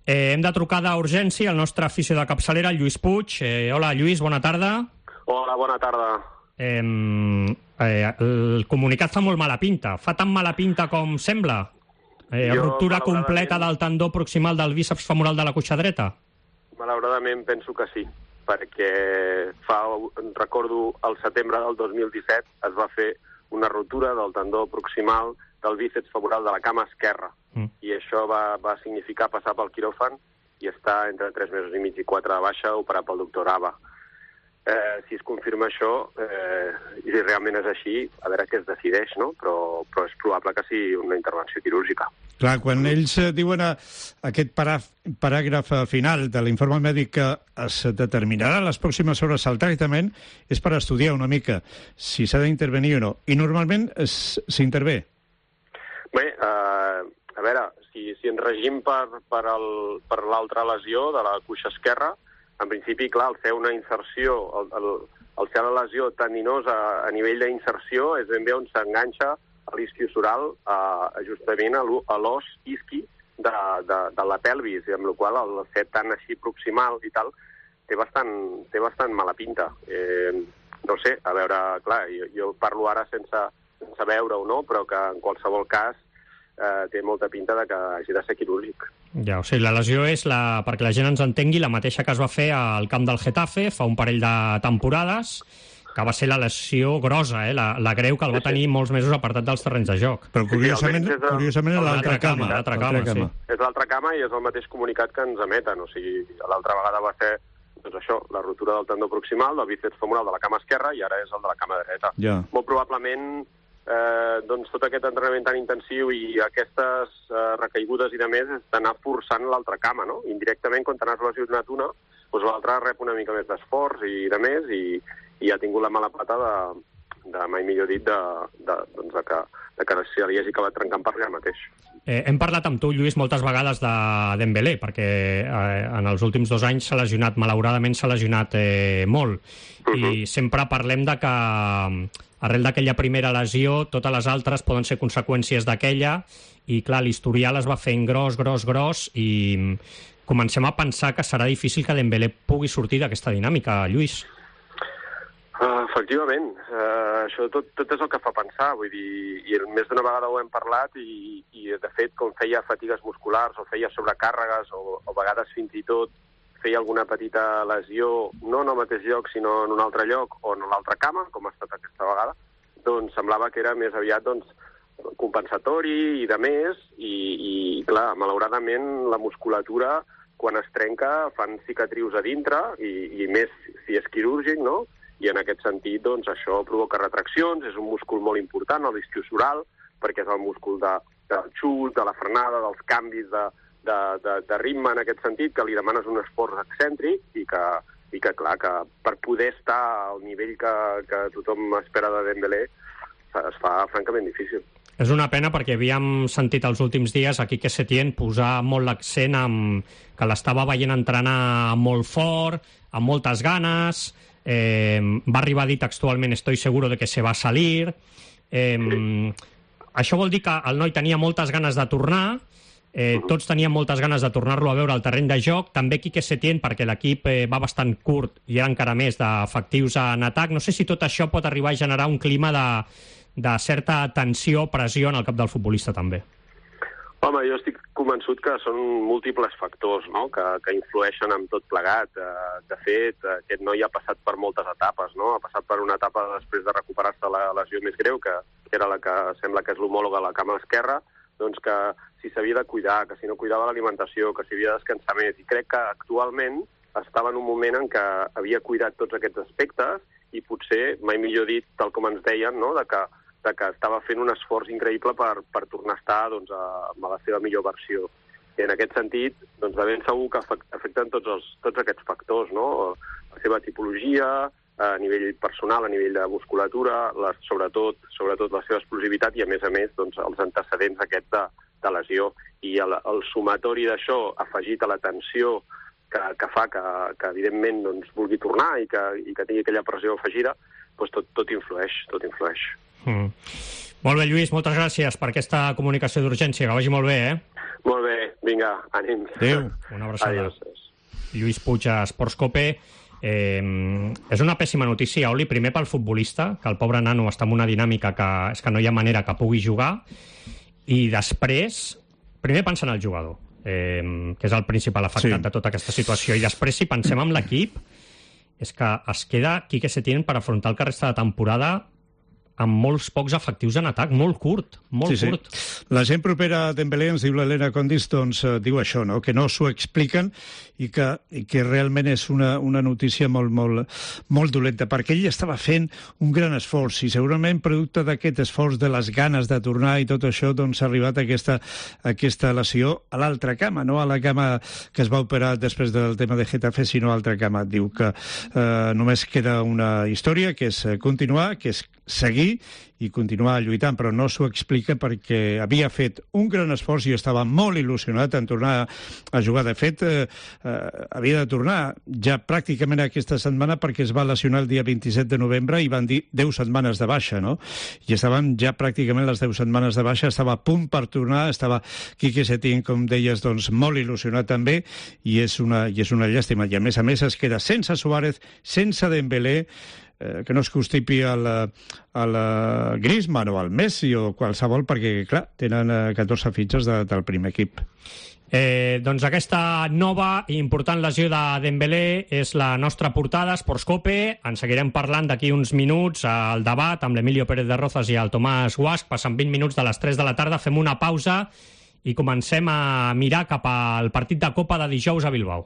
Hem de trucar d'urgència al nostre afició de capçalera, el Lluís Puig. Hola, Lluís, bona tarda. Hola, bona tarda. El comunicat fa molt mala pinta. Fa tan mala pinta com sembla? Ruptura completa del tendó proximal del bíceps femoral de la cuixa dreta? Malauradament penso que sí, perquè recordo el setembre del 2017 es va fer una ruptura del tendó proximal del bíceps femoral de la cama esquerra. I això va significar passar pel quiròfan i estar entre 3 mesos i mig i 4 de baixa, operat pel doctor Ava. Si es confirma això, i si realment és així, a veure què es decideix, no? Però és probable que sigui una intervenció quirúrgica. Clar, quan ells diuen aquest paràgraf final de l'informe mèdic que es determinarà les pròximes hores al tractament, és per estudiar una mica si s'ha d'intervenir o no. I normalment s'intervé. Bé, a veure, si ens regim per l'altra lesió de la cuixa esquerra, en principi, clar, al fer una inserció, al fer la lesió tendinosa a nivell d'inserció, és ben bé on s'enganxa l'isquiosural justament a l'os isqui de la pelvis, i amb la qual el fet tan així proximal i tal té bastant mala pinta. No sé, a veure, clar, jo parlo ara sense veure-ho, no? Però que en qualsevol cas té molta pinta de que hagi de ser quirúrgic. Ja, o sigui, la lesió és, perquè la gent ens entengui, la mateixa que es va fer al camp del Getafe fa un parell de temporades, que va ser la lesió grossa, la greu, que el va tenir molts mesos apartat dels terrenys de joc. Però curiosament és l'altra cama. Sí. És l'altra cama i és el mateix comunicat que ens emeten. O sigui, l'altra vegada va ser doncs això, la ruptura del tendó proximal, del bíceps femoral de la cama esquerra, i ara és el de la cama dreta. Ja. Molt probablement doncs tot aquest entrenament tan intensiu i aquestes recaigudes i de més és d'anar forçant l'altra cama, no? Indirectament, quan t'has lesionat una, doncs l'altra rep una mica més d'esforç i de més, i ha tingut la mala pata de mai millor dit, de que se li hagi acabat trencant per allà mateix. Hem parlat amb tu, Lluís, moltes vegades de Dembélé, perquè en els últims 2 anys malauradament s'ha lesionat molt. I sempre parlem de que arrel d'aquella primera lesió, totes les altres poden ser conseqüències d'aquella, i clar, l'historial es va fent gros, i comencem a pensar que serà difícil que Dembélé pugui sortir d'aquesta dinàmica, Lluís. Efectivament, això tot és el que fa pensar, vull dir, i més d'una vegada ho hem parlat, i de fet, com feia fatigues musculars, o feia sobrecàrregues, o a vegades fins i tot feia alguna petita lesió, no en el mateix lloc, sinó en un altre lloc, o en l'altra cama, com ha estat aquesta vegada, doncs semblava que era més aviat compensatori i de més, i clar, malauradament la musculatura, quan es trenca, fan cicatrius a dintre, i més si és quirúrgic, no? I en aquest sentit, doncs, això provoca retraccions, és un múscul molt important, l'isquiosural, perquè és el múscul del xut, de la frenada, dels canvis de ritme en aquest sentit, que li demanes un esforç excèntric i que clar, que per poder estar al nivell que tothom espera de Dembélé es fa francament difícil. És una pena perquè havíem sentit els últims dies a Quique Setién posar molt l'accent que l'estava veient entrenar molt fort, amb moltes ganes, va arribar a dir textualment «estoy seguro de que se va a salir». Això vol dir que el noi tenia moltes ganes de tornar, tots teníem moltes ganes de tornar-lo a veure al terreny de joc, també Quique Setién, perquè l'equip va bastant curt i era encara més d'efectius en atac. No sé si tot això pot arribar a generar un clima de certa tensió, pressió en el cap del futbolista també. Home, jo estic convençut que són múltiples factors, no?, que influeixen en tot plegat. De fet, aquest noi ha passat per moltes etapes, no? Ha passat per una etapa després de recuperar-se la lesió més greu, que era la que sembla que és l'homòloga a la cama esquerra, doncs que si s'havia de cuidar, que si no cuidava l'alimentació, que si havia de descansar més. I crec que actualment estava en un moment en què havia cuidat tots aquests aspectes i potser, mai millor dit, tal com ens deien, no?, de que estava fent un esforç increïble per tornar a estar doncs, amb la seva millor versió. I en aquest sentit, doncs, de ben segur que afecten tots aquests factors, no? La seva tipologia, a nivell personal, a nivell de musculatura, sobretot la seva explosivitat i, a més, doncs, els antecedents aquests de lesió. I el sumatori d'això, afegit a la tensió que fa que evidentment, doncs, vulgui tornar i que tingui aquella pressió afegida, doncs tot influeix. Molt bé, Lluís, moltes gràcies per aquesta comunicació d'urgència, que vagi molt bé, Molt bé, vinga, ànims. Adéu. Una abraçada. Adiós. Lluís Puig a Esports Cope. És una pèssima notícia, Oli, primer pel futbolista, que el pobre nano està en una dinàmica que és que no hi ha manera que pugui jugar, i després, primer pensant en el jugador, que és el principal afectat de tota aquesta situació, i després, si pensem en l'equip, és que es queda Quique Setién per afrontar el que resta de temporada amb molts pocs efectius en atac, molt curt, molt curt. La gent propera a Dembélé, ens diu l'Helena Condis, doncs diu això, no? Que no s'ho expliquen i que realment és una notícia molt dolenta, perquè ell estava fent un gran esforç i segurament producte d'aquest esforç, de les ganes de tornar i tot això, doncs ha arribat aquesta lesió a l'altra cama, no a la cama que es va operar després del tema de Getafe, sinó a l'altra cama. Diu que només queda una història, que és continuar, que és seguir i continuar lluitant, però no s'ho explica perquè havia fet un gran esforç i estava molt il·lusionat en tornar a jugar. De fet, havia de tornar ja pràcticament aquesta setmana perquè es va lesionar el dia 27 de novembre i van dir 10 setmanes de baixa, no? I estaven ja pràcticament les 10 setmanes de baixa, estava a punt per tornar, estava Quique Setién, com deies, doncs molt il·lusionat també, i és una llàstima. I a més es queda sense Suárez, sense Dembélé, que no es constipi al Griezmann o al Messi o qualsevol, perquè, clar, tenen 14 fitxes del primer equip. Doncs aquesta nova i important lesió de Dembélé és la nostra portada, Esports Cope. En seguirem parlant d'aquí uns minuts al debat amb l'Emilio Pérez de Rozas i el Tomàs Guasch. Passen 20 minuts de les 3 de la tarda, fem una pausa i comencem a mirar cap al partit de Copa de dijous a Bilbao.